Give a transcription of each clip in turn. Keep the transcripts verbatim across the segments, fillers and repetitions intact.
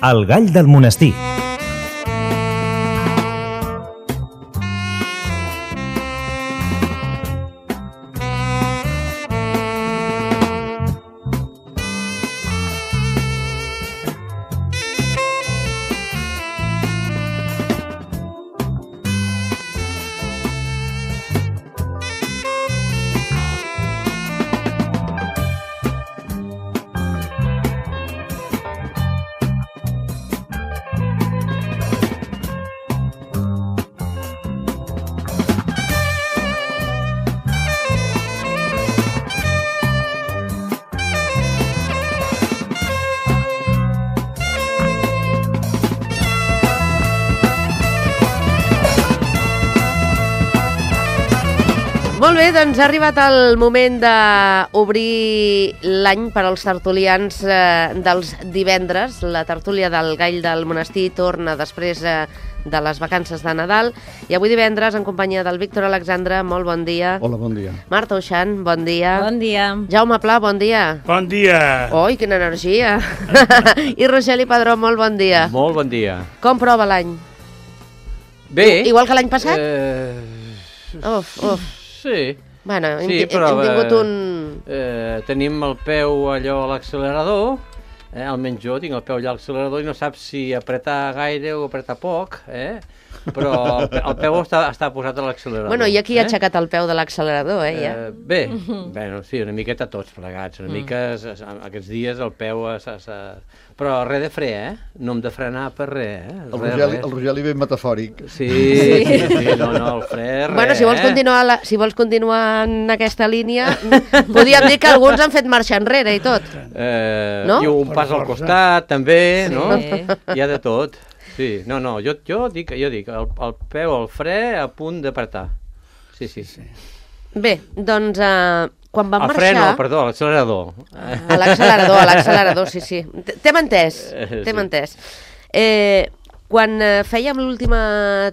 El gall del monestir. Molt bé, doncs ha arribat el moment d'obrir l'any per als tertulians eh, dels divendres. La tertúlia del Gall del Monestir torna després eh, de les vacances de Nadal. I avui divendres, en companyia del Víctor Alexandre, molt bon dia. Hola, bon dia. Marta Uixant, bon dia. Bon dia. Jaume Pla, bon dia. Bon dia. Oi, quina energia. I Rogeli Padró, molt bon dia. Molt bon dia. Com prova l'any? Bé. Igual que l'any passat? Eh... Uf, uf. Sí. Bueno, hem, sí, hem però, tingut un... Eh, tenim el peu allò a l'accelerador, eh, almenys jo tinc el peu allà a l'accelerador i no saps si apretar gaire o apretar poc, eh? Però el peu està, està posat a l'accelerador. Bueno, i aquí eh? ha aixecat el peu de l'accelerador, eh, ja? Eh, bé, bueno, sí, una miqueta tots plegats, una mm. mica aquests dies el peu... S -s -s... Però res de fre, eh? No hem de frenar per res, eh? El Rogeli, el Rogeli ben metafòric. Sí, sí, sí, no, no, el fre, res, bueno, si vols, continuar la, si vols continuar en aquesta línia, podríem dir que alguns han fet marxa enrere i tot. Eh, no? I un pas al costat, també, sí. no? Hi ha de tot. Sí, no, no, jo, jo dic, jo dic el, el peu al fre a punt d'apretar. Sí, sí, sí. Bé, doncs... Uh... Quan van el marxar... fre no, perdó, l'accelerador. A l'accelerador, a l'accelerador, sí, sí. T'hem entès, t'hem entès. Eh, quan fèiem l'última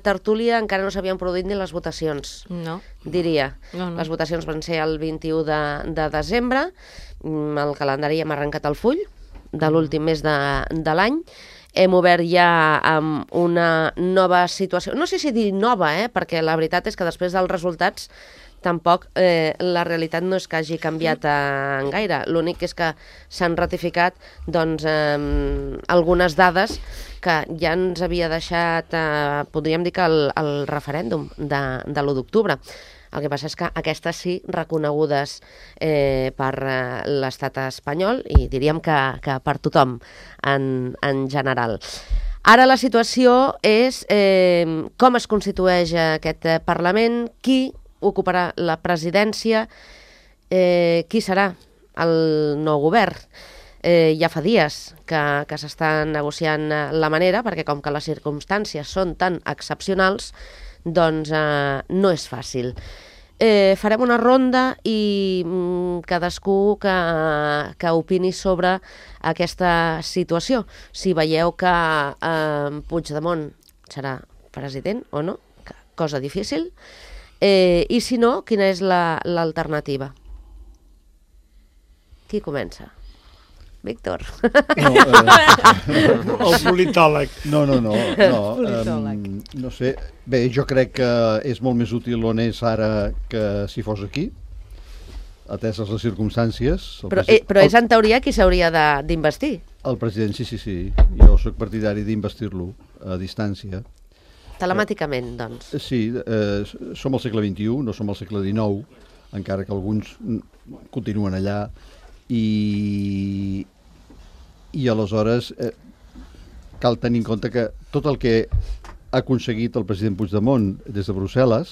tertúlia encara no s'havien produït ni les votacions, no. diria. No, no. Les votacions van ser el vint-i-u de, de desembre, el calendari hem arrencat el full de l'últim mes de, de l'any, hem obert ja amb una nova situació, no sé si dir nova, eh, perquè la veritat és que després dels resultats tampoc eh, la realitat no és que hagi canviat en gaire. L'únic és que s'han ratificat doncs, eh, algunes dades que ja ens havia deixat, eh, podríem dir que el, el referèndum de, de l'u d'octubre. El que passa és que aquestes sí reconegudes eh, per eh, l'estat espanyol i diríem que, que per tothom en, en general. Ara la situació és eh, com es constitueix aquest Parlament, qui ocuparà la presidència, eh, qui serà el nou govern. Eh, ja fa dies que, que s'està negociant la manera, perquè com que les circumstàncies són tan excepcionals, doncs eh, no és fàcil. Eh, farem una ronda i mm, cadascú que, que opini sobre aquesta situació. Si veieu que eh, Puigdemont serà president o no, cosa difícil. Eh, I si no, quina és l'alternativa? Qui comença? Víctor. No, eh... el politòleg. No, no, no. No, um, no sé. Bé, jo crec que és molt més útil on és ara que si fos aquí, ateses les circumstàncies. Però, eh, però és en teoria qui s'hauria d'investir. El president, sí, sí, sí. Jo soc partidari d'investir-lo a distància. Telemàticament, doncs. Sí, eh, som al segle vint-i-u, no som al segle dinou, encara que alguns continuen allà, i, i aleshores eh, cal tenir en compte que tot el que ha aconseguit el president Puigdemont des de Brussel·les,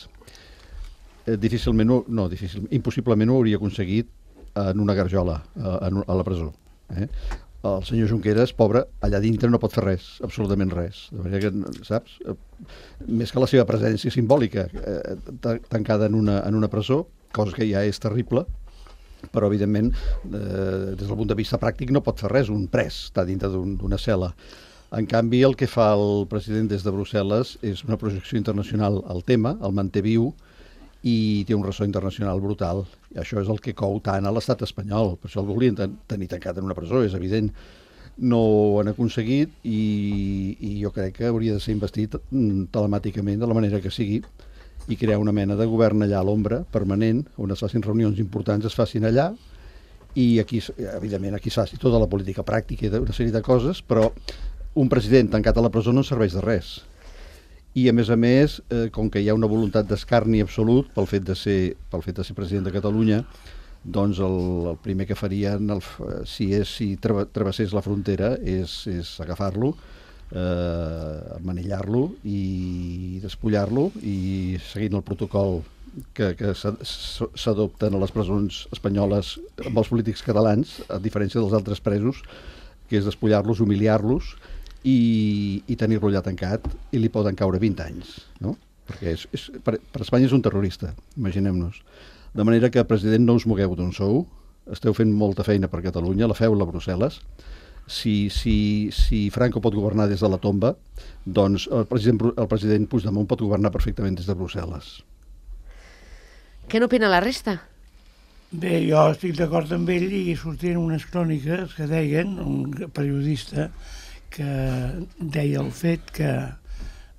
eh, difícilment, no, difícil, impossiblement ho hauria aconseguit en una garjola, a, a la presó. Eh? El senyor Junqueras, pobre, allà dintre no pot fer res, absolutament res. De manera que, saps, més que la seva presència simbòlica eh, tancada en una, en una presó, cosa que ja és terrible, però evidentment, eh, des del punt de vista pràctic no pot fer res, un pres està dintre d'una un, cel·la. En canvi, el que fa el president des de Brussel·les és una projecció internacional al tema, el manté viu, i té un ressò internacional brutal. I això és el que cou tant a l'estat espanyol. Per això el volien ten tenir tancat en una presó, és evident. no ho han aconseguit i, i jo crec que hauria de ser investit telemàticament de la manera que sigui i crear una mena de govern allà a l'ombra permanent, on es facin reunions importants, es facin allà i aquí, evidentment, aquí es faci tota la política pràctica i una sèrie de coses, però un president tancat a la presó no serveix de res. I a més a més, eh, com que hi ha una voluntat d'escarni absolut pel fet de ser, pel fet de ser president de Catalunya, doncs el, el primer que farien, el, si, és, si travessés la frontera, és, és agafar-lo, eh, manillar-lo i despullar-lo i seguint el protocol que, que s'adopten a les presons espanyoles amb els polítics catalans, a diferència dels altres presos, que és despullar-los, humiliar-los i, i tenir-lo allà tancat, i li poden caure vint anys, no? Perquè és, és, per, per Espanya és un terrorista, imaginem-nos. De manera que, president, no us mogueu d'on sou, esteu fent molta feina per Catalunya, la feu-la a Brussel·les. Si, si, si Franco pot governar des de la tomba, doncs el president, el president Puigdemont pot governar perfectament des de Brussel·les. Què n'opina la resta? Bé, jo estic d'acord amb ell i sortien unes cròniques que deien, un periodista, que deia el fet que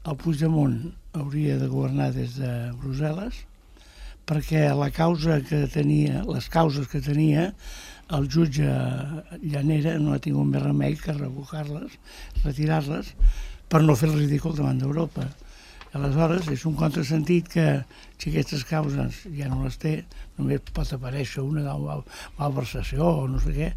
el Puigdemont hauria de governar des de Brussel·les perquè la causa que tenia, les causes que tenia, el jutge Llanera no ha tingut més remei que revocar-les, retirar-les, per no fer el ridícul davant d'Europa. Aleshores, és un contrasentit que si aquestes causes ja no les té, només pot aparèixer una de malversació o no sé què.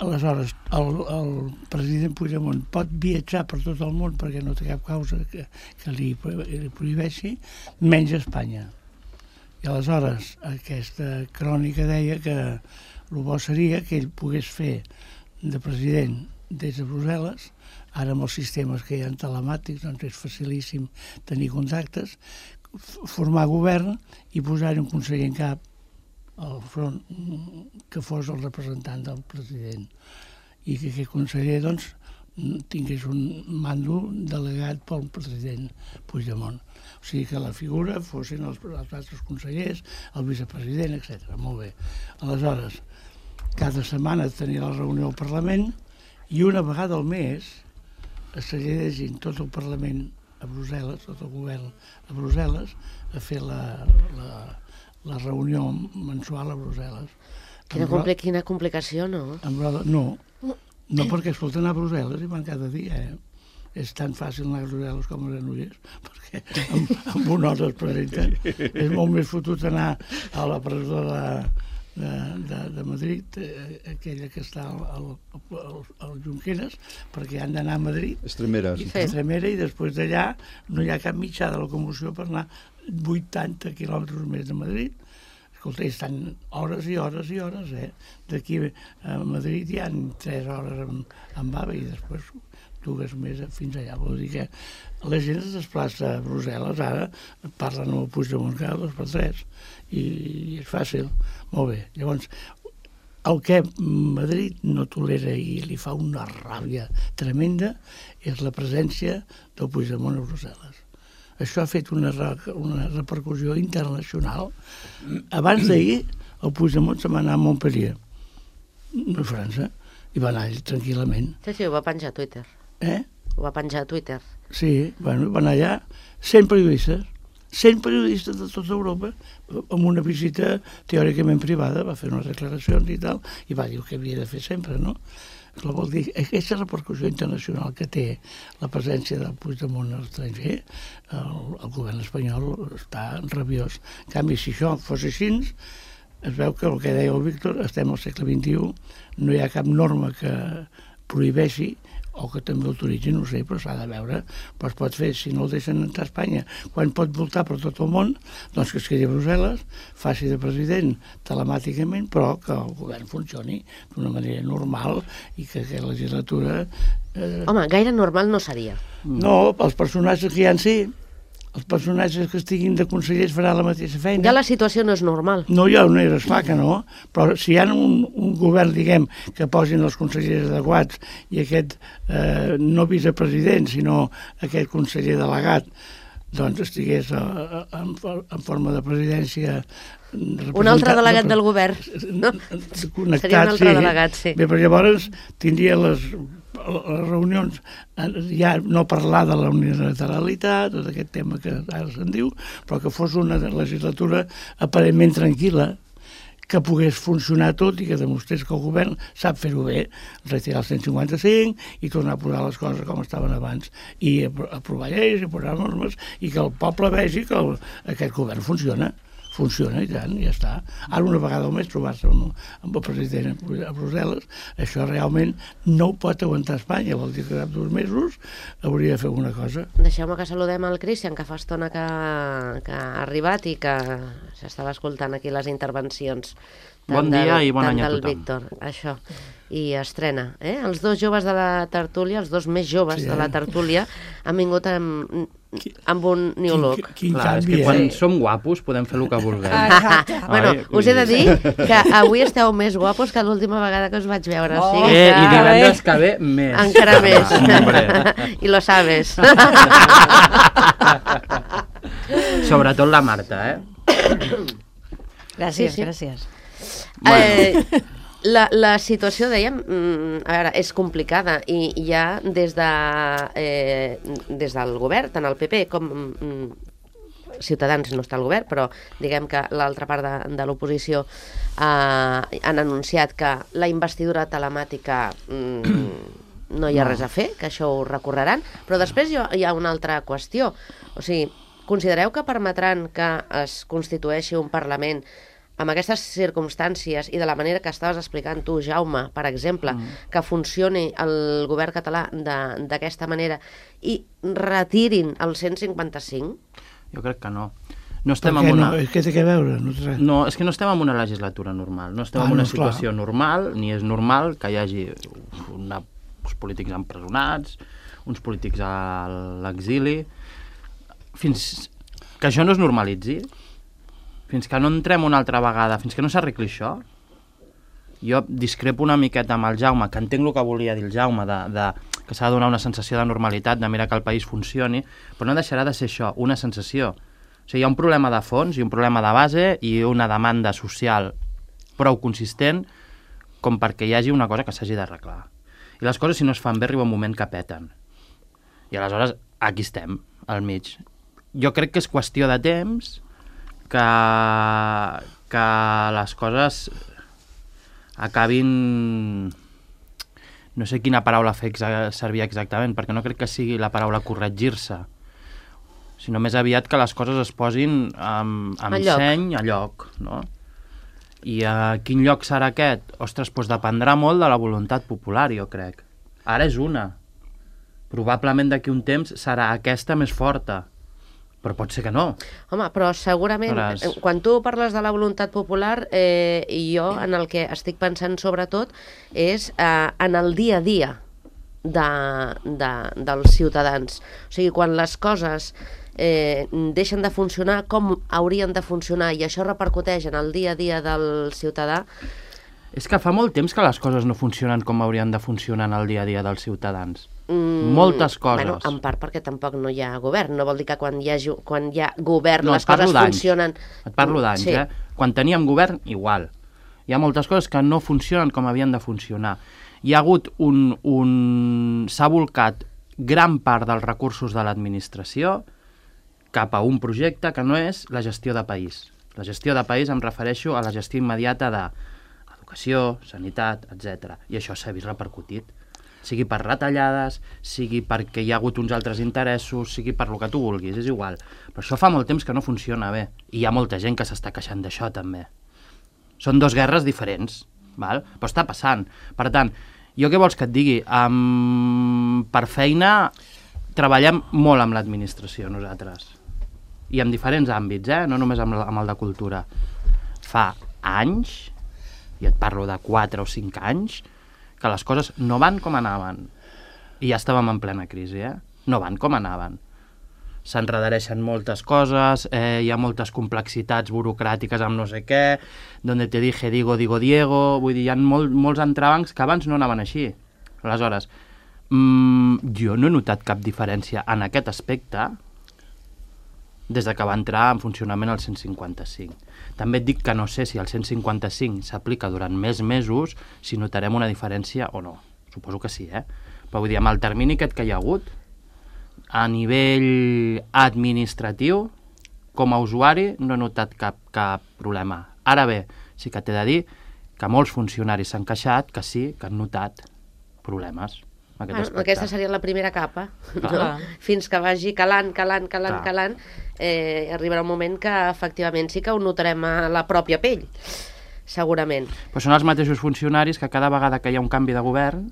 Aleshores, el, el president Puigdemont pot viatjar per tot el món perquè no té cap causa que, que li, li prohibeixi, menys Espanya. I aleshores aquesta crònica deia que el bo seria que ell pogués fer de president des de Brussel·les, ara amb els sistemes que hi ha telemàtics doncs és facilíssim tenir contactes, formar govern i posar-hi un conseller en cap al front que fos el representant del president i que aquest conseller doncs tingués un mando delegat pel president Puigdemont. O sigui que la figura fossin els, els altres consellers, el vicepresident, etcètera. Molt bé. Aleshores, cada setmana tenia la reunió al Parlament i una vegada al mes es seguia llegint tot el Parlament a Brussel·les, tot el govern a Brussel·les, a fer la, la, la reunió mensual a Brussel·les. Quina, compli quina complicació, no? No, no perquè escolta, anar a Brussel·les i van cada dia, eh? És tan fàcil anar a Brussel·les com a Granollers, perquè amb, amb una hora es presenta. És molt més fotut anar a la presó de, de, de, de Madrid, eh, aquella que està al, al, al Junqueras, perquè han d'anar a Madrid. Estremera. I, Estremera, i després d'allà no hi ha cap mitjà de locomoció per anar vuitanta quilòmetres més de Madrid. Escolta, estan hores i hores i hores, eh? D'aquí a Madrid hi ha tres hores amb, amb AVE i després dues més fins allà. Vol dir que la gent es desplaça a Brussel·les, ara parlen amb el Puigdemont cada dos per tres i, i és fàcil. Molt bé. Llavors, el que Madrid no tolera i li fa una ràbia tremenda és la presència del Puigdemont a Brussel·les. Això ha fet una, una repercussió internacional. Abans d'ahir, el Puigdemont se va anar a Montpellier, a França, i va anar tranquil·lament. Sí, sí, ho va penjar a Twitter. Eh? Ho va penjar a Twitter. Sí, bueno, va anar allà, cent periodistes, cent periodistes de tota Europa, amb una visita teòricament privada, va fer unes declaracions i tal, i va dir el que havia de fer sempre, no? Això vol dir, aquesta repercussió internacional que té la presència del Puigdemont a l'estranger, el, el govern espanyol està rabiós. En canvi, si això fos així, es veu que el que deia el Víctor, estem al segle vint-i-u, no hi ha cap norma que prohibeixi o que també autoritzi, no sé, però s'ha de veure, però es pot fer, si no el deixen entrar a Espanya, quan pot voltar per tot el món, doncs que es quedi a Brussel·les, faci de president telemàticament, però que el govern funcioni d'una manera normal i que aquesta legislatura... Eh... Home, gaire normal no seria. No, els personatges que hi ha en si, els personatges que estiguin de consellers faran la mateixa feina. Ja la situació no és normal. No, ja no és clar que no, però si hi ha un, un govern, diguem, que posin els consellers adequats i aquest, eh, no vicepresident, sinó aquest conseller delegat, doncs estigués a, a, en, en forma de presidència un altre delegat del govern, no? Connectat, seria un altre sí. delegat, sí. Bé, però llavors tindria les, les reunions, ja no parlar de la unilateralitat, tot aquest tema que ara se'n diu, però que fos una legislatura aparentment tranquil·la, que pogués funcionar tot i que demostrés que el govern sap fer-ho bé, retirar el cent cinquanta-cinc i tornar a posar les coses com estaven abans i aprovar lleis i posar normes i que el poble vegi que el, aquest govern funciona. Funciona i tant, ja està. Ara una vegada al mes trobar-se amb, amb el president a Brussel·les, això realment no ho pot aguantar Espanya, vol dir que cap dos mesos hauria de fer alguna cosa. Deixeu-me que saludem el Cristian, que fa estona que, que ha arribat i que s'estava escoltant aquí les intervencions. Bon dia i bon any a tothom. Víctor, això. I estrena, eh? Els dos joves de la tertúlia, els dos més joves sí, eh? de la tertúlia, han vingut amb, amb un new look. Quin, quin Clar, canvi, és que quan eh? som guapos podem fer el que vulguem. Bueno, Ai, us he de dir que avui esteu més guapos que l'última vegada que us vaig veure. Oh, o sigui eh, que... I divendres que ve, més. Encara més. Hombre. I lo sabes. Sobretot la Marta, eh? Gràcies, Sí, sí. gràcies. Eh, la, la situació, dèiem, mm, a veure, és complicada i ja des, de, eh, des del govern, tant el P P com mm, Ciutadans no està al govern, però diguem que l'altra part de, de l'oposició eh, han anunciat que la investidura telemàtica mm, no hi ha res a fer, que això ho recorreran, però després hi ha, hi ha una altra qüestió. O sigui, considereu que permetran que es constitueixi un Parlament amb aquestes circumstàncies i de la manera que estaves explicant tu, Jaume, per exemple, mm. que funcioni el govern català d'aquesta manera i retirin el cent cinquanta-cinc? Jo crec que no. No estem Per què en una... no? És que té que veure. No, té... no, és que no estem en una legislatura normal. No estem Ah, en una no, situació clar. normal, ni és normal que hi hagi una, uns polítics empresonats, uns polítics a l'exili. Fins que això no es normalitzi, fins que no entrem una altra vegada, fins que no s'arregli això, jo discrepo una miqueta amb el Jaume, que entenc el que volia dir el Jaume, de, de, que s'ha de donar una sensació de normalitat, de mirar que el país funcioni, però no deixarà de ser això, una sensació. O sigui, hi ha un problema de fons i un problema de base i una demanda social prou consistent com perquè hi hagi una cosa que s'hagi d'arreglar. I les coses, si no es fan bé, arriba un moment que peten. I aleshores, aquí estem, al mig. Jo crec que és qüestió de temps que, que les coses acabin... No sé quina paraula fer exa servir exactament, perquè no crec que sigui la paraula corregir-se, sinó més aviat que les coses es posin amb, amb A lloc. seny a lloc, no? I a quin lloc serà aquest? Ostres, doncs dependrà molt de la voluntat popular, jo crec. Ara és una. Probablement d'aquí un temps serà aquesta més forta, però pot ser que no. Home, però segurament, Aleshores... quan tu parles de la voluntat popular, eh, jo en el que estic pensant sobretot és eh, en el dia a dia de, de, dels ciutadans. O sigui, quan les coses eh, deixen de funcionar com haurien de funcionar i això repercuteix en el dia a dia del ciutadà. És que fa molt temps que les coses no funcionen com haurien de funcionar en el dia a dia dels ciutadans. Mm, Moltes coses. Bueno, en part perquè tampoc no hi ha govern. No vol dir que quan hi ha, quan hi ha govern no, les coses funcionen... Et parlo d'anys, sí. eh? Quan teníem govern, igual. Hi ha moltes coses que no funcionen com havien de funcionar. Hi ha hagut un... un... S'ha volcat gran part dels recursos de l'administració cap a un projecte que no és la gestió de país. La gestió de país em refereixo a la gestió immediata de educació, sanitat, etcètera. I això s'ha vist repercutit. Sigui per retallades, sigui perquè hi ha hagut uns altres interessos, sigui per lo que tu vulguis, és igual. Però això fa molt temps que no funciona bé. I hi ha molta gent que s'està queixant d'això, també. Són dos guerres diferents, val? Però està passant. Per tant, jo què vols que et digui? Um, per feina treballem molt amb l'administració, nosaltres. I en diferents àmbits, eh? No només amb, amb el de cultura. Fa anys, i et parlo de quatre o cinc anys, que les coses no van com anaven. I ja estàvem en plena crisi, eh? No van com anaven. S'enredareixen moltes coses, eh, hi ha moltes complexitats burocràtiques amb no sé què, donde te dije digo, digo Diego, vull dir, hi ha molt, molts entrebancs que abans no anaven així. Aleshores, mmm, jo no he notat cap diferència en aquest aspecte des de que va entrar en funcionament el cent cinquanta-cinc. També et dic que no sé si el cent cinquanta-cinc s'aplica durant més mesos, si notarem una diferència o no. Suposo que sí, eh? Però vull dir, amb el termini aquest que hi ha hagut, a nivell administratiu, com a usuari, no he notat cap, cap problema. Ara bé, sí que t'he de dir que molts funcionaris s'han queixat que sí, que han notat problemes. Aquest bueno, aquesta seria la primera capa, no? Fins que vagi calant, calant, calant, Clar. calant, eh, arribarà un moment que efectivament sí que ho notarem a la pròpia pell, segurament. Però són els mateixos funcionaris que cada vegada que hi ha un canvi de govern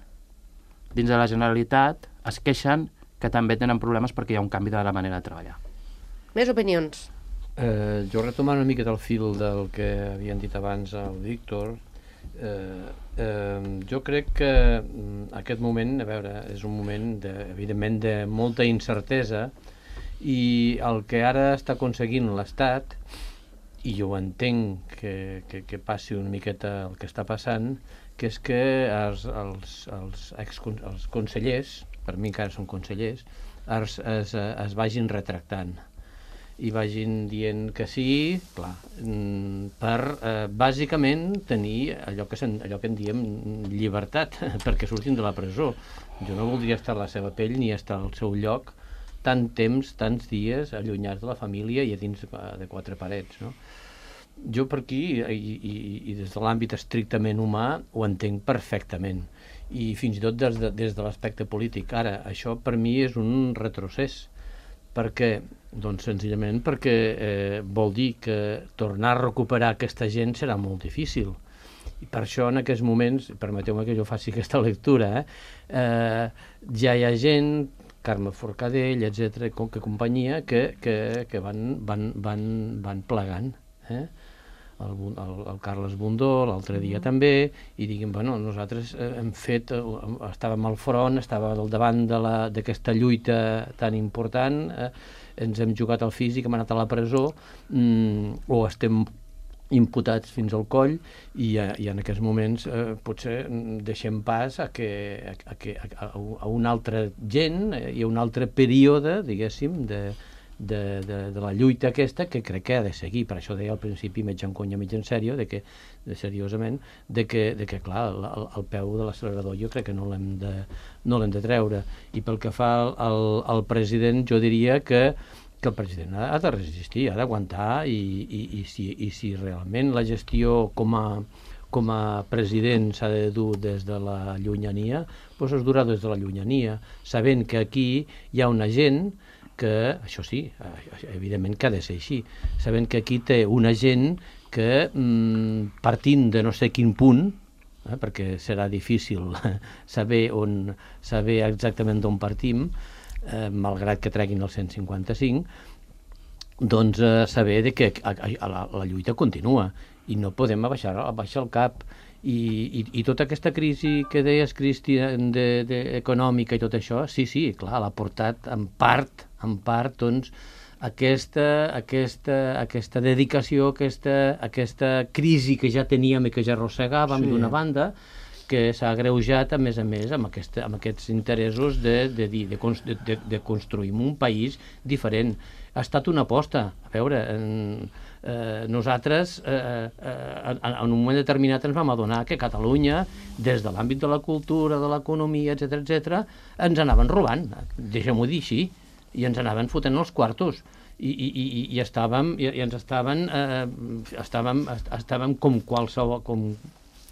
dins de la Generalitat es queixen que també tenen problemes perquè hi ha un canvi de la manera de treballar. Més opinions? Eh, jo retomant una mica del fil del que havien dit abans el Víctor, eh, eh, jo crec que aquest moment, a veure, és un moment de, evidentment de molta incertesa, i el que ara està aconseguint l'Estat, i jo entenc que, que, que passi una miqueta el que està passant, que és que els, els, els, ex, els consellers, per mi encara són consellers, es, es, es vagin retractant i vagin dient que sí, clar, per eh, bàsicament tenir allò que, sen, allò que en diem llibertat, perquè surtin de la presó. Jo no voldria estar a la seva pell ni estar al seu lloc tant temps, tants dies allunyats de la família i a dins de quatre parets, no? Jo per aquí, i, i, i des de l'àmbit estrictament humà, ho entenc perfectament, i fins i tot des de, des de l'aspecte polític. Ara, això per mi és un retrocés. Per què? Doncs senzillament perquè eh, vol dir que tornar a recuperar aquesta gent serà molt difícil. I per això en aquests moments, permeteu-me que jo faci aquesta lectura, eh, eh, ja hi ha gent, Carme Forcadell, etcètera, que companyia, que, que, que van, van, van, van plegant. Eh? El, el, el Carles Bundó l'altre dia mm. també, i diguem, bueno, nosaltres hem fet, estàvem al front, estàvem al davant d'aquesta lluita tan important, eh, ens hem jugat al físic, hem anat a la presó, mm, o estem imputats fins al coll, i, i en aquests moments eh, potser deixem pas a, que, a, a, a, a una altra gent eh, i a un altre període, diguéssim, de De, de, de la lluita aquesta, que crec que ha de seguir. Per això deia al principi, mig en conya, mig en sèrio, de que, de seriosament, de que, de que clar, el, el peu de l'accelerador jo crec que no l'hem de, no l'hem de treure. I pel que fa al, al, al president, jo diria que, que el president ha, ha de resistir, ha d'aguantar, i, i, i, si, i si realment la gestió com a, com a president s'ha de dur des de la llunyania, doncs es durà des de la llunyania, sabent que aquí hi ha una gent que, això sí, evidentment que ha de ser així, sabent que aquí té una gent que, partint de no sé quin punt, eh, perquè serà difícil saber, on, saber exactament d'on partim, eh, malgrat que treguin el cent cinquanta-cinc, doncs eh, saber de que a, a, la, la lluita continua i no podem abaixar, abaixar el cap. I, i, i tota aquesta crisi que deies, Cristian, de, de, econòmica i tot això, sí, sí, clar, l'ha portat en part, en part, doncs, aquesta, aquesta, aquesta dedicació, aquesta, aquesta crisi que ja teníem i que ja arrossegàvem, sí, d'una banda, que s'ha agreujat, a més a més, amb, aquesta, amb aquests interessos de, de, de, de, de, de construir un país diferent. Ha estat una aposta. A veure, en, eh, nosaltres eh, eh, en, en un moment determinat ens vam adonar que Catalunya, des de l'àmbit de la cultura, de l'economia, etcètera, etcètera, ens anaven robant, deixem-ho dir així, i ens anaven fotent els quartos. I, i, i, i, estàvem, i, i ens estaven, eh, estàvem, estàvem com qualsevol, com,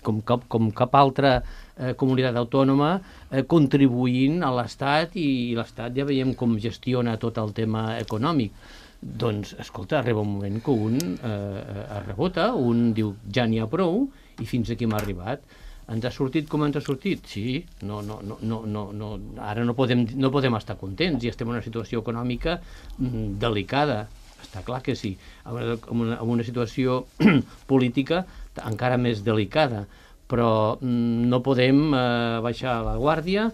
com, cap, com cap altra eh, comunitat autònoma eh, contribuint a l'Estat, i, i l'Estat ja veiem com gestiona tot el tema econòmic. Doncs, escolta, arriba un moment que un eh, es rebota, un diu ja n'hi ha prou, i fins aquí m'ha arribat. Ens ha sortit com ens ha sortit? Sí, no, no, no, no, no, no. Ara no podem, no podem estar contents i estem en una situació econòmica mm, delicada, està clar que sí, en una, en una situació política encara més delicada, però mm, no podem eh, baixar la guàrdia.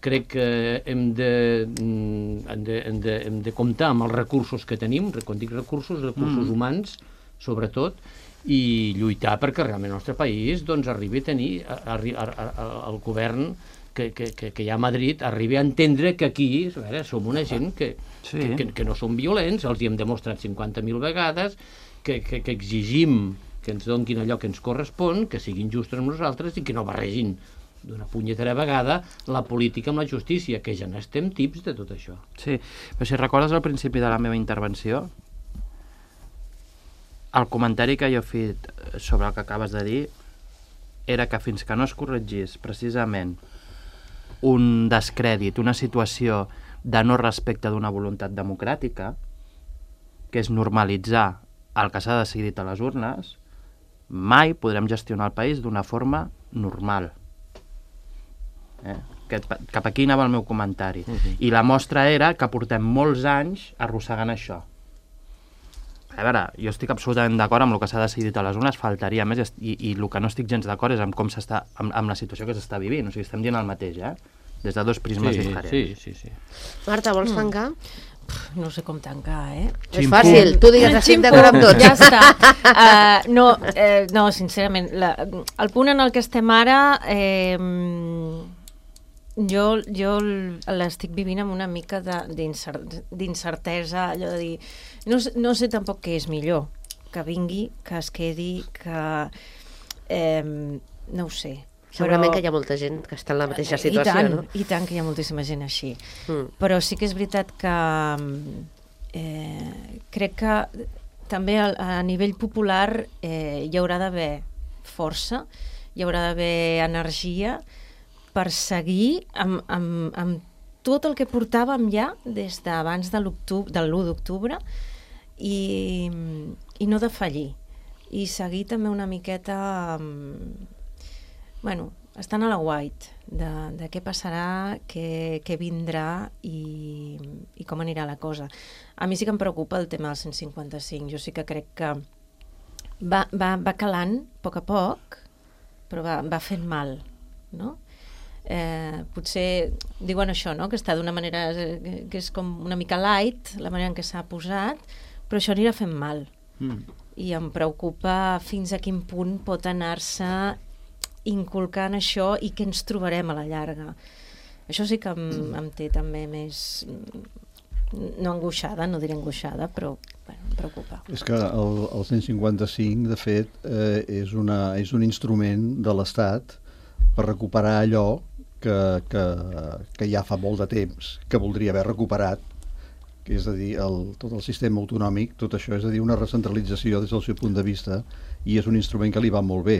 Crec que hem de, hem, de, hem, de, hem de comptar amb els recursos que tenim, quan dic recursos, recursos mm. humans, sobretot, i lluitar perquè realment el nostre país doncs, arribi a tenir a, a, a, a, el govern que, que, que, que hi ha a Madrid arribi a entendre que aquí a veure, som una gent que, Sí. que, que, que no som violents, els hi hem demostrat cinquanta mil vegades, que, que, que exigim que ens donin allò que ens correspon, que siguin justos amb nosaltres i que no barregin d'una punyetera vegada la política amb la justícia, que ja n'estem tips de tot això. Sí, però si recordes al principi de la meva intervenció, el comentari que jo he fet sobre el que acabes de dir era que fins que no es corregís precisament un descrèdit, una situació de no respecte d'una voluntat democràtica, que és normalitzar el que s'ha decidit a les urnes, mai podrem gestionar el país d'una forma normal. Eh? Aquest, cap aquí anava el meu comentari. Uh-huh. I la mostra era que portem molts anys arrossegant això. A veure, jo estic absolutament d'acord amb el que s'ha decidit a les urnes, faltaria més, i, i el que no estic gens d'acord és amb com s'està, amb, amb la situació que s'està vivint. O sigui, estem dient el mateix, eh? Des de dos prismes sí, diferents. Sí, sí, sí. Marta, vols tancar? No sé com tancar, eh? És fàcil, tu digues, estic d'acord amb tot. Ja està. Uh, no, eh, no, sincerament, la, el punt en el que estem ara, eh, jo, jo l'estic vivint amb una mica d'incertesa, allò de dir, no, no sé tampoc què és millor, que vingui, que es quedi, que... Eh, no ho sé. Segurament però... que hi ha molta gent que està en la mateixa I situació, tant, no? I tant que hi ha moltíssima gent així. Mm. Però sí que és veritat que eh, crec que també a, a nivell popular eh, hi haurà d'haver força, hi haurà d'haver energia per seguir amb, amb, amb tot el que portàvem ja des d'abans de l'u d'octubre i, i no defallir. I seguir també una miqueta... Bueno, estan a la guait de, de què passarà, què, què vindrà i, i com anirà la cosa. A mi sí que em preocupa el tema del cent cinquanta-cinc. Jo sí que crec que va, va, va calant a poc a poc, però va, va fent mal, no? Eh, potser diuen això, no? Que està d'una manera que és com una mica light, la manera en què s'ha posat, però això anirà fent mal. Mm. I em preocupa fins a quin punt pot anar-se inculcant això i què ens trobarem a la llarga. Això sí que em, em té també més... no angoixada, no diré angoixada, però bueno, em preocupa. És que el, el cent cinquanta-cinc, de fet, eh, és, una, és un instrument de l'Estat per recuperar allò que, que, que ja fa molt de temps que voldria haver recuperat, que és a dir, el, tot el sistema autonòmic, tot això, és a dir, una recentralització des del seu punt de vista, i és un instrument que li va molt bé.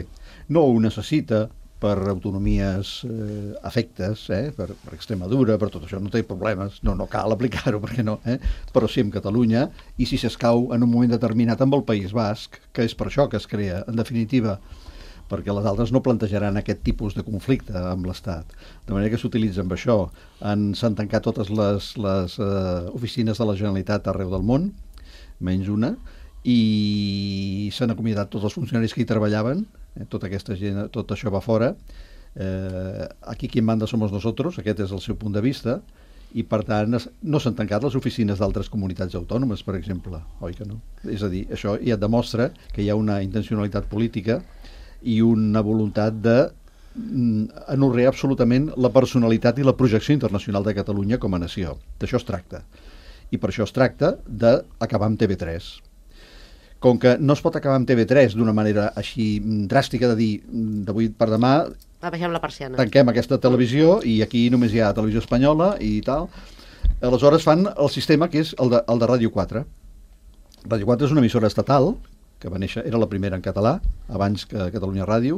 No ho necessita per autonomies eh, afectes, eh, per, per Extremadura, per tot això, no té problemes, no, no cal aplicar-ho, perquè no, eh? Però sí amb Catalunya, i si s'escau en un moment determinat amb el País Basc, que és per això que es crea, en definitiva, perquè les altres no plantejaran aquest tipus de conflicte amb l'Estat. De manera que s'utilitza amb això. S'han tancat totes les, les uh, oficines de la Generalitat arreu del món, menys una, i s'han acomiadat tots els funcionaris que hi treballaven, eh, tota aquesta gent, tot això va fora. Eh, aquí qui en manda somos nosotros, aquest és el seu punt de vista, i per tant no s'han tancat les oficines d'altres comunitats autònomes, per exemple, oi que no? És a dir, això ja et demostra que hi ha una intencionalitat política i una voluntat de anorrear absolutament la personalitat i la projecció internacional de Catalunya com a nació. D'això es tracta. I per això es tracta d'acabar amb T V tres. Com que no es pot acabar amb T V tres d'una manera així dràstica de dir d'avui per demà Abaixem la persiana. Tanquem aquesta televisió i aquí només hi ha televisió espanyola i tal. Aleshores fan el sistema que és el de, el de Ràdio quatre. Ràdio quatre és una emissora estatal que va néixer, era la primera en català, abans que Catalunya Ràdio.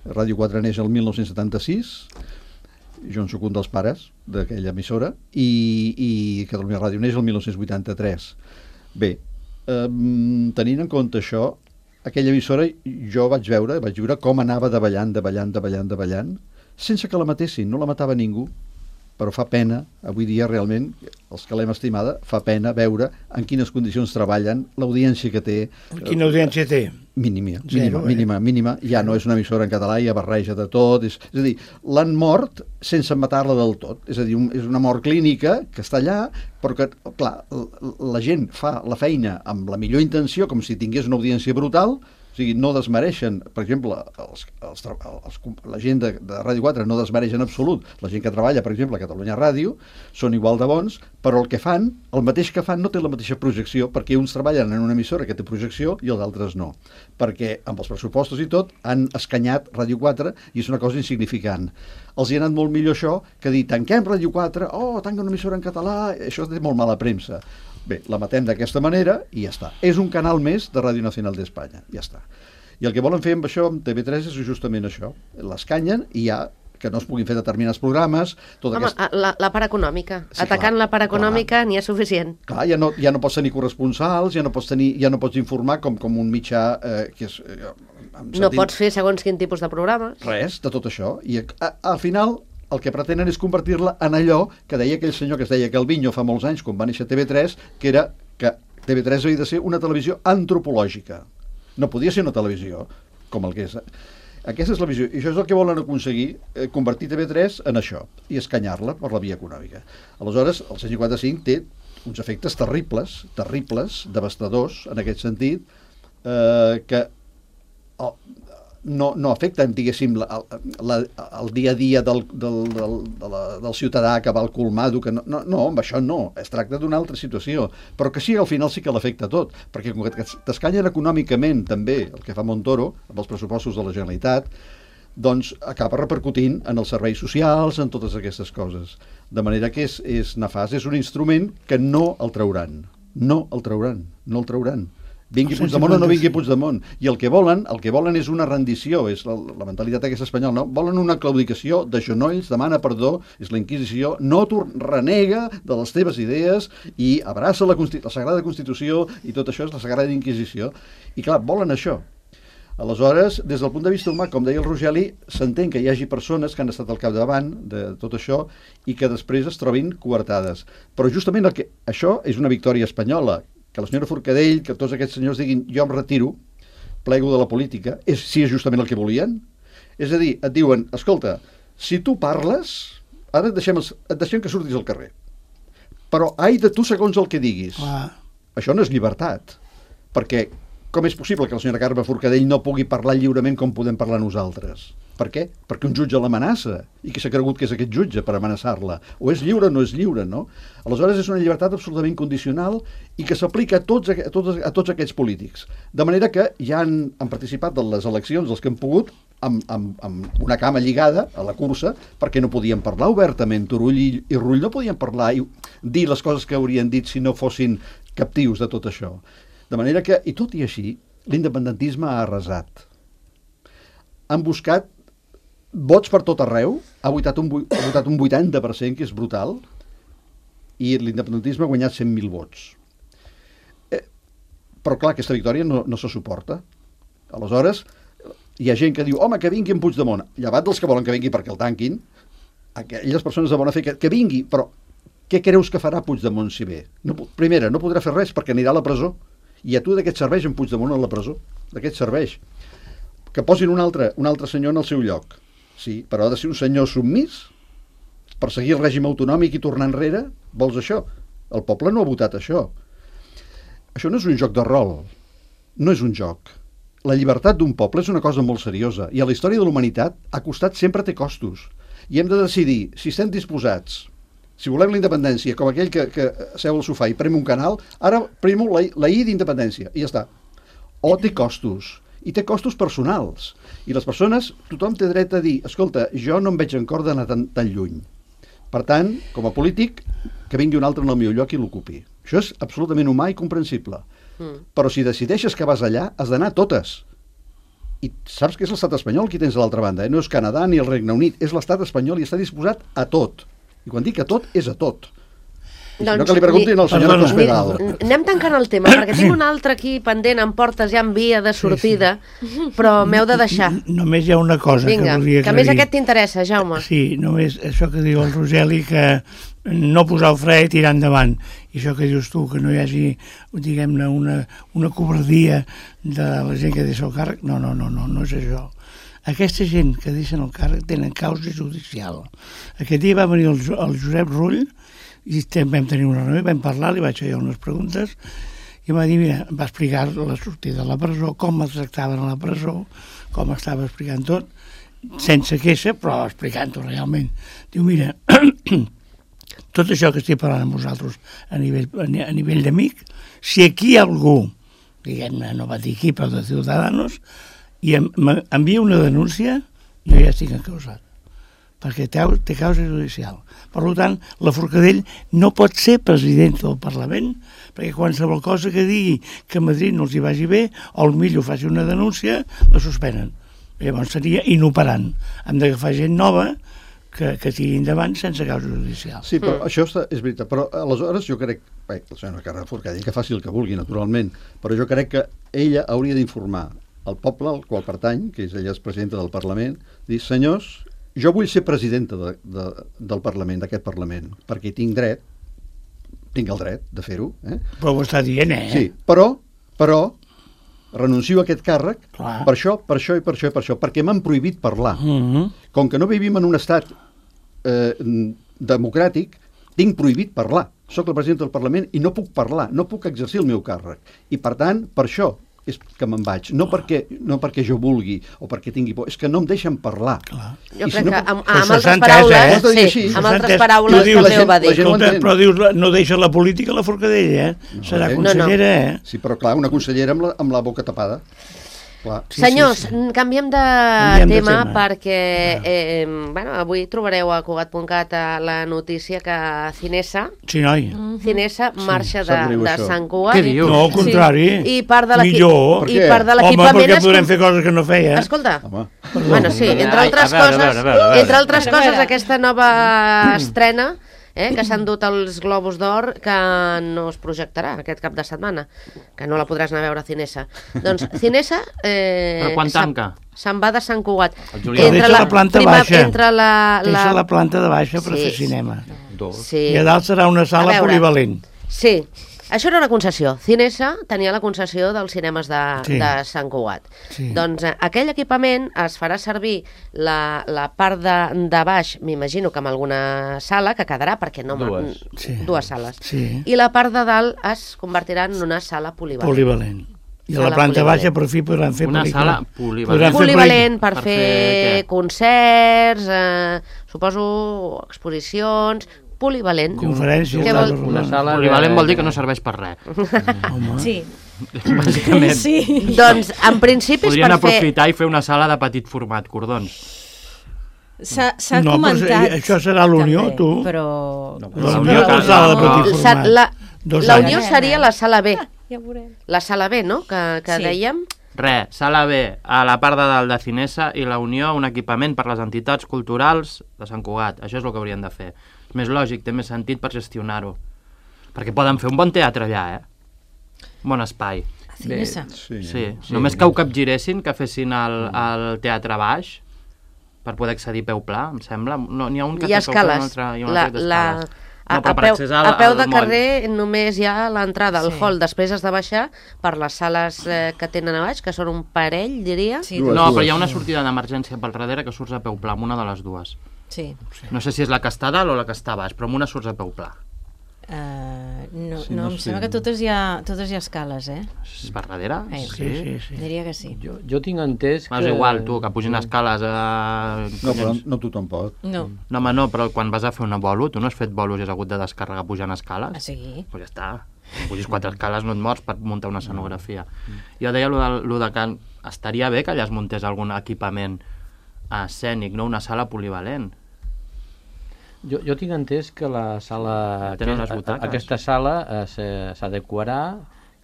Ràdio quatre neix el mil nou-cents setanta-sis, jo en soc un dels pares d'aquella emissora, i, i Catalunya Ràdio neix el mil nou-cents vuitanta-tres. Bé, eh, tenint en compte això, aquella emissora jo vaig veure, vaig veure com anava davallant, davallant, davallant, davallant, sense que la matessin, no la matava ningú, però fa pena, avui dia realment, els que l'hem estimada, fa pena veure en quines condicions treballen, l'audiència que té... Quina audiència té? Mínima, Zero, mínima, eh? mínima, mínima, ja no és una emissora en català, ja barreja de tot, és, és a dir, l'han mort sense matar-la del tot, és a dir, un, és una mort clínica que està allà, però que, clar, la gent fa la feina amb la millor intenció, com si tingués una audiència brutal, O sigui, no desmereixen, per exemple, els, els, els, la gent de, de Ràdio quatre no desmereix en absolut. La gent que treballa, per exemple, a Catalunya Ràdio, són igual de bons, però el que fan, el mateix que fan, no té la mateixa projecció, perquè uns treballen en una emissora que té projecció i els altres no. Perquè amb els pressupostos i tot han escanyat Ràdio quatre i és una cosa insignificant. Els hi ha anat molt millor això que dir tanquem Ràdio quatre, oh, tanca una emissora en català, això té molt mala premsa. Bé, la matem d'aquesta manera i ja està. És un canal més de Ràdio Nacional d'Espanya, ja està. I el que volen fer amb això, amb T V tres, és justament això. L'escanyen i ja que no es puguin fer determinats programes... Tota Home, aquesta... la, la part econòmica. Sí, Atacant clar, la part econòmica n'hi ha suficient. Clar, ja no, ja no pots tenir corresponsals, ja no pots, tenir, ja no pots informar com, com un mitjà eh, que és... Eh, sentit... No pots fer segons quin tipus de programes. Res, de tot això. I a, al final el que pretenen és convertir-la en allò que deia aquell senyor que es deia Calviño fa molts anys, quan va néixer T V tres, que era que T V tres havia de ser una televisió antropològica. No podia ser una televisió com el que és. Aquesta és la visió. I això és el que volen aconseguir, eh, convertir T V tres en això, i escanyar-la per la via econòmica. Aleshores, el cent cinquanta-cinc té uns efectes terribles, terribles, devastadors, en aquest sentit, eh, que el, no, no afecten, diguéssim, la, la, el dia a dia del, del, del, de la, del ciutadà que va al colmado, que no, no, no, amb això no, es tracta d'una altra situació, però que sí, al final sí que l'afecta tot, perquè com que t'escanyen econòmicament també el que fa Montoro, amb els pressupostos de la Generalitat, doncs acaba repercutint en els serveis socials, en totes aquestes coses. De manera que és, és nefast, és un instrument que no el trauran, no el trauran, no el trauran. Vingui Puigdemont o no vingui Puigdemont. I el que volen, el que volen és una rendició, és la, la mentalitat aquesta espanyola, no? Volen una claudicació de genolls, demana perdó, és la Inquisició, no renega de les teves idees i abraça la, la Sagrada Constitució i tot això és la Sagrada Inquisició. I clar, volen això. Aleshores, des del punt de vista humà, com deia el Rogeli, s'entén que hi hagi persones que han estat al capdavant de tot això i que després es trobin coartades. Però justament el que, això és una victòria espanyola, que la senyora Forcadell, que tots aquests senyors diguin jo em retiro, plego de la política, és, si és justament el que volien. És a dir, et diuen, escolta, si tu parles, ara et deixem, els, et deixem que surtis al carrer. Però ai de tu segons el que diguis. Ah. Això no és llibertat, perquè com és possible que la senyora Carme Forcadell no pugui parlar lliurement com podem parlar nosaltres? Per què? Perquè un jutge l'amenaça i que s'ha cregut que és aquest jutge per amenaçar-la. O és lliure o no és lliure, no? Aleshores és una llibertat absolutament condicional i que s'aplica a tots, a, tots, a tots aquests polítics. De manera que ja han, han participat de les eleccions els que han pogut amb, amb, amb una cama lligada a la cursa perquè no podien parlar obertament. Turull i, i Rull no podien parlar i dir les coses que haurien dit si no fossin captius de tot això. De manera que, i tot i així, l'independentisme ha arrasat. Han buscat vots per tot arreu, ha votat un, ha votat un vuitanta per cent, que és brutal, i l'independentisme ha guanyat cent mil vots. Eh, però clar, aquesta victòria no, no se suporta. Aleshores, hi ha gent que diu, home, que vingui en Puigdemont, llevat dels que volen que vingui perquè el tanquin, aquelles persones de bona fe, que, que vingui, però què creus que farà Puigdemont si ve? No, primera, no podrà fer res perquè anirà a la presó, i a tu de què et serveix en Puigdemont a la presó? De què et serveix? Que posin un altre, un altre senyor en el seu lloc. Sí, però ha de ser un senyor submís per seguir el règim autonòmic i tornar enrere? Vols això? El poble no ha votat això. Això no és un joc de rol. No és un joc. La llibertat d'un poble és una cosa molt seriosa i a la història de la humanitat ha costat sempre té costos. I hem de decidir si estem disposats, si volem la independència, com aquell que, que seu al sofà i prem un canal, ara premo la, la I d'independència i ja està. O té costos. I té costos personals. I les persones, tothom té dret a dir, escolta, jo no em veig en cor d'anar tan, tan lluny. Per tant, com a polític, que vingui un altre en el meu lloc i l'ocupi. Això és absolutament humà i comprensible. Mm. Però si decideixes que vas allà, has d'anar a totes. I saps que és l'estat espanyol qui tens a l'altra banda, eh? No és Canadà ni el Regne Unit, és l'estat espanyol i està disposat a tot. I quan dic a tot, és a tot. Doncs, no que li preguntin al senyor Cospedal. Anem tancant el tema, perquè tinc un altre aquí pendent amb portes ja en via de sortida, sí, sí. Però m'heu de deixar. Només hi ha una cosa Vinga, que volia que a més aquest t'interessa, Jaume. Sí, només això que diu el Rogeli, que no posar el fre i tirar endavant. I això que dius tu, que no hi hagi, diguem-ne, una, una covardia de la gent que deixa el càrrec. No, no, no, no, no és això. Aquesta gent que deixen el càrrec tenen causa judicial. Aquest dia va venir el, el Josep Rull i vam tenir una reunió, vam parlar, li vaig fer unes preguntes i em va dir, mira, em va explicar la sortida de la presó, com es tractaven a la presó, com estava explicant tot, sense queixa, però explicant-ho realment. Diu, mira, tot això que estic parlant amb vosaltres a nivell, a nivell d'amic, si aquí hi ha algú, diguem-ne, no va dir aquí, però de Ciudadanos, i em, envia una denúncia, jo ja estic encausat, perquè té, té causa judicial. Per tant, la Forcadell no pot ser president del Parlament, perquè qualsevol cosa que digui que a Madrid no els hi vagi bé, o el millor faci una denúncia, la suspenen. Llavors seria inoperant. Hem d'agafar gent nova que, que tiri endavant sense causa judicial. Sí, però mm. això està, és veritat. Però aleshores jo crec, bé, la senyora Carme Forcadell, que faci el que vulgui, naturalment, però jo crec que ella hauria d'informar el poble al qual pertany, que és ella és presidenta del Parlament, dir, senyors, jo vull ser presidenta de, de, del Parlament, d'aquest Parlament, perquè tinc dret, tinc el dret de fer-ho. Eh? Però ho està dient, eh? Sí, però, però, renuncio a aquest càrrec. Clar. per això, per això i per això i per això, perquè m'han prohibit parlar. Mm-hmm. Com que no vivim en un estat eh, democràtic, tinc prohibit parlar. Soc la presidenta del Parlament i no puc parlar, no puc exercir el meu càrrec. I per tant, per això és que me'n vaig. No perquè, no perquè jo vulgui o perquè tingui por, és que no em deixen parlar. Clar. Jo I crec si no que puc- amb, Però amb això altres s'ha entès, paraules, eh? Ho has de dir sí, així. amb S'ha altres entès. paraules Tu dius, la també ho gent- va la dir. gent ho Escolta, entén. però dius, no deixa la política la Forcadell, eh? Serà eh? consellera, No, eh? Sí, però clar, una consellera amb la, amb la boca tapada. Clar. Sí, Senyors, sí, sí. canviem de Canviem de tema, tema. perquè eh, bueno, avui trobareu a Cugat punt cat la notícia que Cinesa, Sí, noi. Cinesa marxa de, sap greu, de això. Sant Cugat. Què dius? No, al contrari. I part de l'equip- Millor. i Per què? part de Home, l'equipament... perquè es- podrem fer coses que no feia. Escolta, Home. bueno, sí, entre Ai, altres a veure, a coses, veure, a veure, a veure. entre altres A coses, veure. aquesta nova estrena, eh, que s'han dut els Globus d'Or, que no es projectarà aquest cap de setmana, que no la podràs anar a veure a Cinesa. Doncs Cinesa... Eh, Però quan se'n- tanca? Se'n va de Sant Cugat. El juliol. Deixa la planta prima- baixa. Entre la, Deixa la planta de baixa per Sí, fer cinema. Dos. Sí. I a dalt serà una sala A veure. polivalent. Sí, això era una concessió. Cinesa tenia la concessió dels cinemes de, Sí. de Sant Cugat. Sí. Doncs eh, aquell equipament es farà servir la, la part de, de baix, m'imagino que amb alguna sala, que quedarà, perquè no... Dues. Sí. Dues sales. Sí. I la part de dalt es convertirà en una sala polivalent. Polivalent. I a la Sala planta polivalent. baixa, per fi, podran fer Una pel·lícula. sala polivalent. Podran fer Polivalent per, Per fer, fer què? concerts, eh, suposo exposicions, polivalent. Conferències. Què tal, vol- tal, Una tal. sala... Polivalent de- vol dir que no serveix per res. Home. Sí, Bàsicament. sí. Doncs, en principi, és Podrien per fer... aprofitar i fer una sala de petit format, cordons. S'ha s'ha No, però comentat... això serà la Unió, també, tu. Però... No, La La Unió Unió que que- sala de no. petit Sa- format. La, Dos la anys. Unió seria la sala B. Ja veurem. La sala B, no?, que, que Sí. dèiem. Res, sala B, a la part de dalt de Cinesa, i la Unió, un equipament per les entitats culturals de Sant Cugat. Això és el que haurien de fer. És més lògic, té més sentit per gestionar-ho. Perquè poden fer un bon teatre allà, eh? Un bon espai. A Cinesa. Sí. Sí, sí. Només que ho capgiressin, que fessin el, el teatre baix, per poder accedir peu pla, em sembla. No, n'hi ha un que Hi ha té peu pla, un escales. altre, hi ha un La, altre la, d'escales. a, No, però a, per peu, accés al- a peu de al moll. carrer només hi ha l'entrada al Sí. hall. Després has de baixar per les sales eh, que tenen a baix, que són un parell, diria. Sí, Dues, No, però dues. hi ha una sortida d'emergència pel darrere que surts a peu pla, amb una de les dues. sí. No sé si és la que està a dalt o la que està a baix, però amb una surts a peu pla. Uh, no, Sí, no, no em sé. sembla que totes hi ha, totes hi ha escales, eh? És per darrere? Eh, Sí, sí, sí. Diria que sí. Jo, jo tinc entès Però que... és igual, tu, que pugin escales a... No, però no tothom pot. No. No, home, no, però quan vas a fer una bolo, tu no has fet bolos i has hagut de descàrregar pujant escales? Ah, sí? Pues ja està. Pugis quatre escales, no et mors per muntar una escenografia. Jo deia lo de, lo de que estaria bé que allà es muntés algun equipament escènic, no una sala polivalent. Jo, jo tinc entès que la sala... Tenen aquest- les butaques. Aquesta sala eh, se- s'adequarà,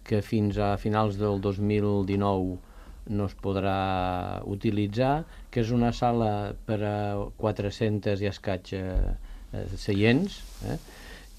que fins a finals del dos mil dinou no es podrà utilitzar, que és una sala per a quatre-cents i escaig eh, eh, seients, eh?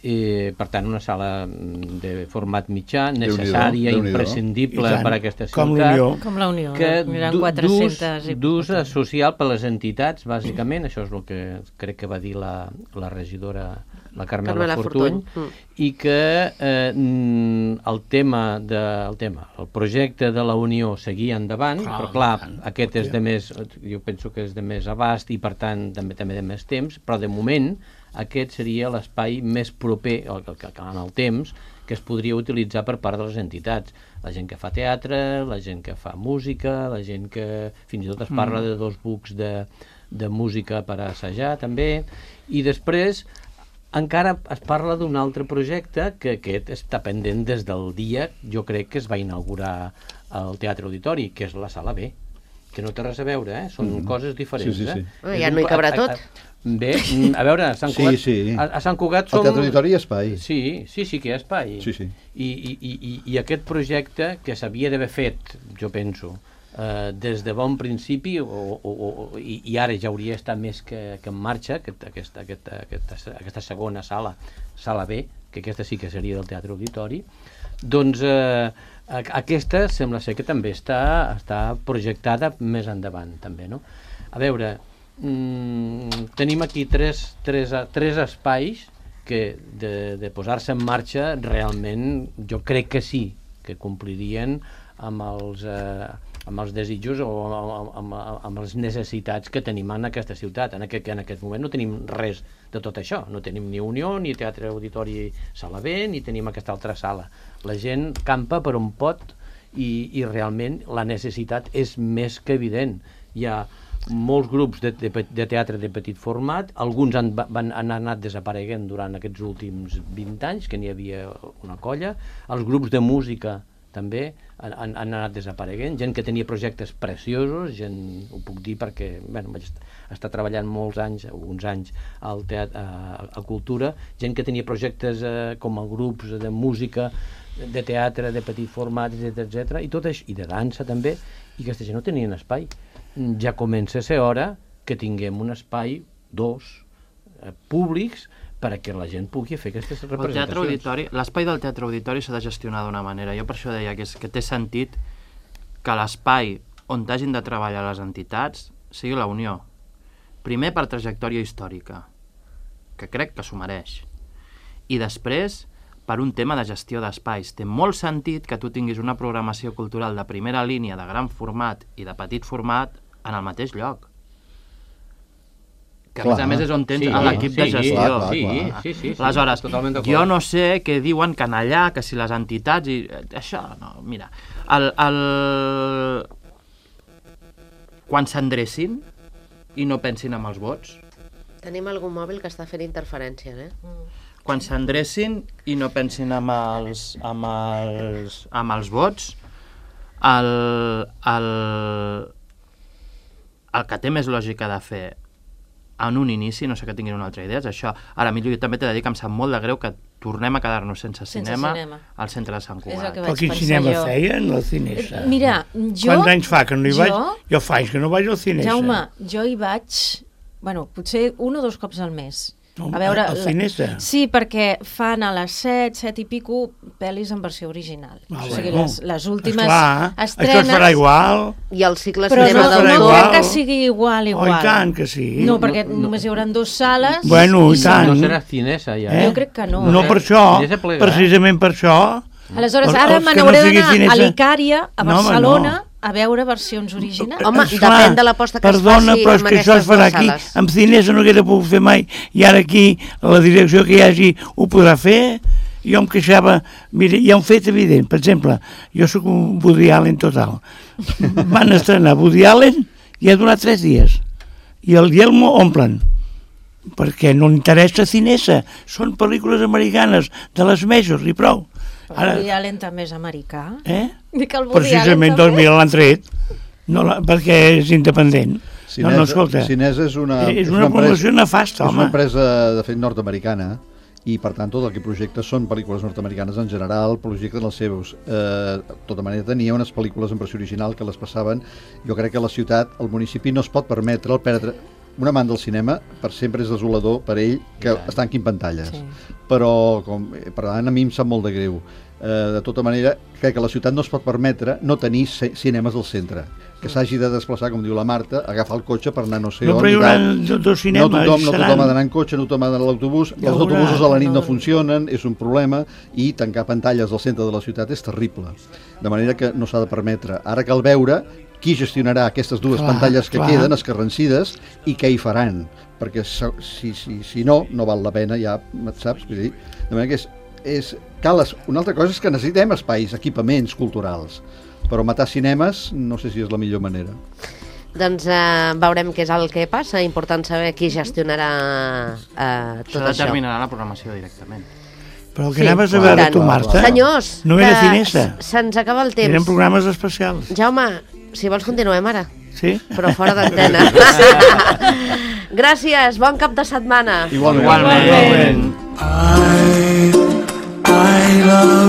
I, per tant, una sala mm, de format mitjà, Déu-n'hi-do, necessària, Déu-n'hi-do. imprescindible I tant, per a aquesta com ciutat. l'Unió. Com la Unió. Que Eren du- quatre-centes i... d'ús d'ús social per les entitats, bàsicament, això és el que crec que va dir la, la regidora, la Carmela, Carmela Fortuny, Fortuny. Mm. i que eh, mm, el tema, de, el tema, el projecte de la Unió seguia endavant, Clar, però clar, tant, aquest és de més, jo penso que és de més abast i per tant també també de més temps, però de moment aquest seria l'espai més proper al, al, al, en el temps que es podria utilitzar per part de les entitats. La gent que fa teatre, la gent que fa música, la gent que fins i tot es parla mm. de dos books de, de música per assajar també, i després encara es parla d'un altre projecte que aquest està pendent des del dia, jo crec que es va inaugurar al Teatre Auditori, que és la Sala B, que no té res a veure, eh? Són mm. coses diferents. Sí, sí, sí. Eh? Ja no hi cabrà tot. Bé, a veure, a Sant Cugat, sí, sí. a, a Sant Cugat som... Al Teatre Auditori hi ha espai. Sí, sí, sí que hi ha espai. Sí, sí. I, i, i, I aquest projecte que s'havia d'haver fet, jo penso, eh, des de bon principi, o, o, o, i, i ara ja hauria estat més que, que en marxa, aquest, aquesta, aquesta, aquesta, aquesta segona sala, sala B, que aquesta sí que seria del Teatre Auditori, doncs eh, aquesta sembla ser que també està, està projectada més endavant, també, no? A veure, mm, tenim aquí tres, tres, tres espais que de, de posar-se en marxa realment jo crec que sí, que complirien amb els, eh, amb els desitjos o amb, amb, amb les necessitats que tenim en aquesta ciutat. En aquest, en aquest moment no tenim res de tot això, no tenim ni Unió, ni Teatre Auditori Sala B, ni tenim aquesta altra sala. La gent campa per on pot i, i realment la necessitat és més que evident. Hi ha molts grups de, de, de teatre de petit format, alguns han, van, han anat desapareguent durant aquests últims vint anys, que n'hi havia una colla, els grups de música també han, han, han anat desapareguent, gent que tenia projectes preciosos, gent, ho puc dir perquè bueno, vaig estar treballant molts anys, uns anys al teatre, a, a cultura, gent que tenia projectes eh, com a grups de música, de teatre, de petit format, etcètera, etcètera, i tot això, i de dansa també, i aquesta gent no tenien espai. Ja comença a ser hora que tinguem un espai, dos, eh, públics, perquè la gent pugui fer aquestes representacions. L'espai del Teatre Auditori s'ha de gestionar d'una manera. Jo per això deia que, és, que té sentit que l'espai on hagin de treballar les entitats sigui la Unió. Primer per trajectòria històrica, que crec que s'ho mereix. I després per un tema de gestió d'espais. Té molt sentit que tu tinguis una programació cultural de primera línia, de gran format i de petit format en el mateix lloc. Que clar, a més a més és on tens sí, l'equip sí, de gestió. Clar, clar, clar. Sí, sí, sí, aleshores, sí, jo no sé què diuen que en allà, que si les entitats i això, no, mira, el, el... quan s'endrecin i no pensin en els vots. Tenim algun mòbil que està fent interferències, eh? Mm. Quan s'endrecin i no pensin en els, amb els, amb els vots, el, el, el que té més lògica de fer en un inici, no sé que tinguin una altra idea, és això. Ara, millor, jo també t'he de dir que em sap molt de greu que tornem a quedar-nos sense, sense cinema, cinema al centre de Sant Cugat. Però quin cinema jo. feien? La Cinesa. Mira, jo... Quants anys fa que no hi jo, vaig? Jo fa anys que no vaig al Cinesa. Jaume, jo hi vaig, bueno, potser un o dos cops al mes. No, a veure, al Cinesa? Sí, perquè fan a les set, set i pico, pel·lis en versió original. Ah, o sigui, bueno. les, les últimes Esclar, estrenes... Això es farà igual. I el cicle però cinema no, del no tot. crec que sigui igual, igual. Oh, i tant que sí. No, perquè no, només hi haurà dues sales. Bueno, i tant. No serà Cinesa, ja. Eh? Jo crec que no. No per això, precisament per això. Aleshores, ara me n'hauré no d'anar a l'Icària, a Barcelona, no, no. a veure versions originals. Home, Esclar, depèn de l'aposta que perdona, es faci però és que això es farà aquí. Sales. Amb Cinesa no haguera pogut fer mai, i ara aquí la direcció que hi hagi ho podrà fer. Jo em queixava, mira, hi ha un fet evident, per exemple, jo sóc un Woody Allen total. Van estrenar Woody Allen i ha donat tres dies. I el Yelmo omplen. Perquè no interessa Cinesa. Són pel·lícules americanes de les majors i prou. Ara... Woody Allen també és americà. Eh? Dic el Woody Precisament Allen doncs mira l'han tret, no, la, perquè és independent. Cinesa, no, no, escolta, Cinesa és una, és una, és una promoció nefasta, home. És una empresa, de fet, nord-americana, i per tant tot el que projecta són pel·lícules nord-americanes en general, projecten els seus. Eh, de tota manera tenia unes pel·lícules en versió original que les passaven. Jo crec que la ciutat, el municipi, no es pot permetre el perdre... Un amant del cinema per sempre és desolador per ell que yeah. es tanquin pantalles. Sí. Però, com, per tant, a mi em sap molt de greu. Eh, de tota manera, crec que la ciutat no es pot permetre no tenir cinemes al centre. Que s'hagi de desplaçar, com diu la Marta, agafar el cotxe per anar no sé no, on. No, però hi haurà dos cinemes. No tothom, no tothom ha d'anar en cotxe, no tothom ha d'anar a l'autobús. Els autobusos a la nit no funcionen, és un problema, i tancar pantalles al centre de la ciutat és terrible. De manera que no s'ha de permetre. Ara cal veure qui gestionarà aquestes dues clar, pantalles que clar. queden escarrancides i què hi faran, perquè si, si, si no, no val la pena ja, saps? Vull dir, de manera que és és, cal, una altra cosa és que necessitem espais, equipaments culturals, però matar cinemes no sé si és la millor manera. Doncs eh, veurem què és el que passa. Important saber qui gestionarà eh, tot Això això. determinarà la programació directament. Però el que Sí, anaves a i veure tant. tu, Marta, Senyors, no era que finesa. s- se'ns acaba el temps. Eren programes especials. Jaume, si vols continuem ara, Sí? però fora d'antena. Gràcies, bon cap de setmana. Igualment. Igualment. I, I love